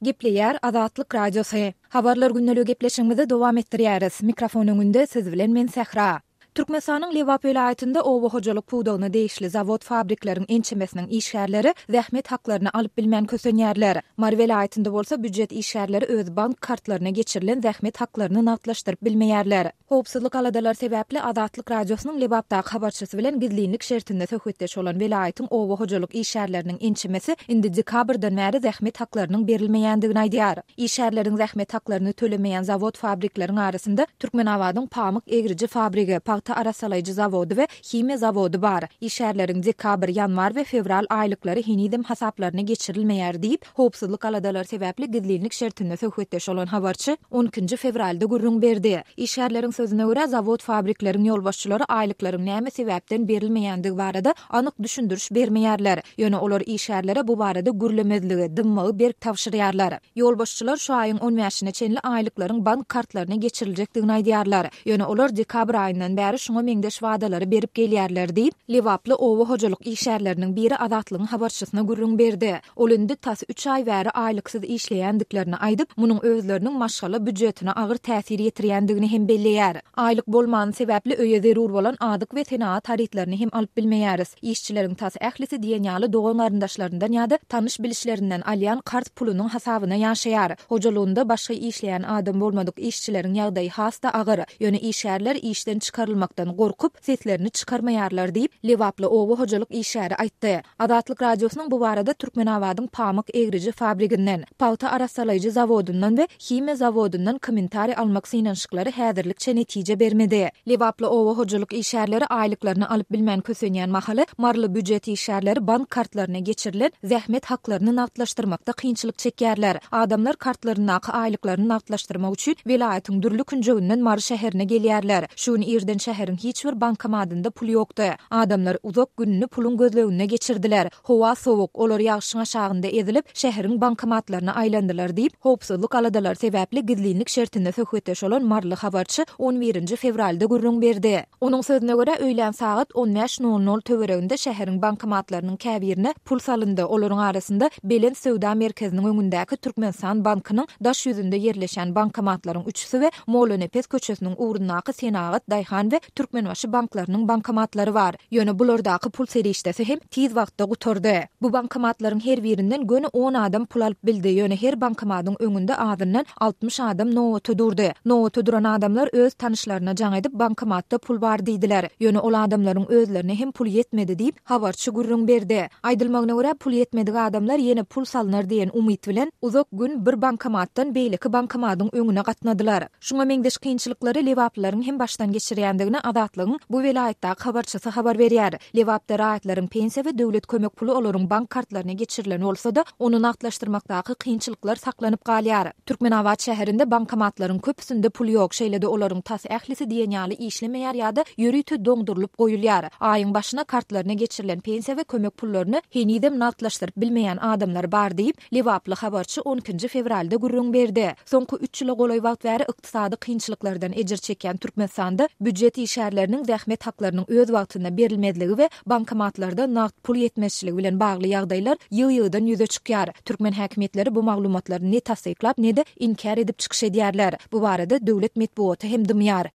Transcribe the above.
Gepleýär Azatlyk Radiosy. Habarlar gündeligi gepleşigimizi dowam etdirýäris. Mikrofon öňünde siz bilen men Sähra. Türkmenistanyň Lebap welaýatynda oba hojalyk pudagyna degişli zawod-fabrikleriň ençemesiniň işgärleri zähmet haklaryny alyp bilmän kösenýärler. Mary welaýatynda bolsa býujet işgärleri öz bank kartlaryna geçirilen zähmet haklaryny nagtlaşdyryp bilmeýärler. Howpsuzlyk aladalary sebäpli Azatlyk Radiosynyň Lebapdaky habarçysy bilen gizlinlik şertinde söhbetdeş bolan welaýatyň oba hojalyk işgärleriniň ençemesi indi dekabrdan bäri zähmet haklarynyň berilmeýändigini aýdýar. Işgärleriň zähmet haklaryny tölemeýän zawod-fabrikleriň arasynda Türkmenabadyň pamyk egriji fabrigi, pagta arassalaýjy zawody we himiýa zawody bar. Işgärleriň dekabr, ýanwar we fewral aýlyklary henizem hasaplaryna geçirilmeýär diýip, Howpsuzlyk aladalary sebäpli gizlinlik şertinde söhbetdeş bolan habarçy on ikinji fewralda gürrüň berdi. Işgärleriň sözüne görä, zawod-fabrikleriň ýolbaşçylary aýlyklaryň näme sebäpden berilmeýändigi barada anyk düşündiriş bermeýärler. Ýöne olar işgärlere bu barada gürlemezligi, dymmagy berk tabşyrýarlar. Ýolbaşçylar şu aýyň on bäşine çenli aýlyklaryň bank kartlaryna geçiriljekdigini aýdýarlar. Ýöne olar dekabr aýyndan bäri şuňa meňzeş wadalary berip gelýärler diýip, lebaply oba hojalyk işgärleriniň biri Azatlygyň habarçysyna gürrüň berdi. Ol indi tas üç aý bäri aýlyksyz işleýändiklerini aýdyp, munuň özleriniň maşgala býujetine agyr täsir ýetirýändigini hem belleýär. Aýlyk bolmany sebäpli öýe zerur bolan azyk we senagat harytlaryny hem alyp bilmeýäris. Işçileriň tas ählisi diýen ýaly dogan-garyndaşlaryndan ýa-da tanyş-bilişlerinden alýan karz pulunyň hasabyna ýaşaýar. Hojalygynda başga işleýän adam bolmadyk işçileriň ýagdaýy has-da agyr. Ýöne işgärler işden çykarylmakdan gorkup, seslerini çykarmaýarlar diýip, lebaply oba hojalyk işgäri aýtdy. Azatlyk Radiosynyň bu barada Türkmenabadyň pamyk egriji fabriginden, pagta arassalaýjy zawodyndan we himiýa zawodyndan kommentariý almak synanyşyklary häzirlikçe netije bermedi. Lebaply oba hojalyk işgärleri aýlyklaryny alyp bilmän kösenýän mahaly, maryly býujet işgärleri bank kartlaryna geçirilen zähmet haklaryny nagtlaşdyrmakda kynçylyk çekýärler. Adamlar kartlaryndaky aýlyklaryny nagtlaşdyrmak üçin welaýatyň dürli künjeginden Mary şäherine gelýärler. Şu gün irden şäheriň hiç bir bankomatynda pul ýokdy. Adamlar uzak gününi puluň gözleginde geçirdiler. Howa sowuk, olar ýagşyň aşagynda ezilip, şäheriň bankomatlaryna aýlandylar diýip, howpsuzlyk aladalary sebäpli gizlinlik şertinde söhbetdeş bolan maryly habarçy on birinji fewralda gürrüň berdi. Onuň sözüne görä, öýlän sagat on bäş nol nol töwereginde şäheriň bankomatlarynyň käbirine pul salyndy, olaryň arasynda Belent söwda merkeziniň öňündäki Türkmenistan bankynyň daş ýüzünde ýerleşen bankomatlaryň üçüsi we Mollanepes köçesiniň ugrundaky Senagat, Daýhan we Türkmenbaşy banklarynyň bankomatlary bar. Ýöne bulardaky pul serişdesi hem tiz wagtda gutardy. Bu bankomatlaryň her birinden göni on adam pul alyp bildi, ýöne her bankomadyň öňünde azyndan 60 adam nobata durdy. Nobata duran adamlar öz tanyşlaryna jaň edip, bankomatda pul bar diýdiler. Ýöne ol adamlaryň özlerine hem pul ýetmedi diýip, habarçy gürrüň berdi. Aýdylmagyna görä, pul ýetmedik adamlar ýene pul salnar diýen umyt bilen, uzak gün bir bankomatdan beýleki bankomadyň öňüne gatnadylar. Şuňa meňzeş kynçylyklary lebaplylaryň hem başdan geçirýändigini Azatlygyň bu welaýatdaky habarçysy habar berýär. Lebapda raýatlaryň pensiýa we döwlet kömek puly olaryň bank kartlaryna geçirilen bolsa-da, ony nagtlaşdyrmakdaky kynçylyklar saklanyp galýar. Türkmenabat şäherinde bankomatlaryň köpüsinde pul ýok, şeýle-de olaryň tas ählisi diýen ýaly işlemeýär ýa-da ýörite doňdurylyp goýulýar. Aýyň başyna kartlaryna geçirilen pensiýa we kömek pullaryny henizem nagtlaşdyryp bilmeýän adamlar bar diýip, Lebaply habarçy on ikinji fewralda gürrüň berdi. Soňky üç ýyla golaý wagt bäri ykdysady kynçylyklardan ejir çekýän Türkmenistanda býujet işgärleriniň zähmet haklarynyň öz wagtynda berilmezligi we bankomatlarda nagt pul ýetmezçiligi bilen bagly ýagdaýlar ýygy-ýygydan ýüze çykýar. Türkmen häkimiýetleri bu maglumatlary ne tassyklap, ne-de inkär edip çykyş edýärler. Bu barada döwlet metbugaty hem dymýar.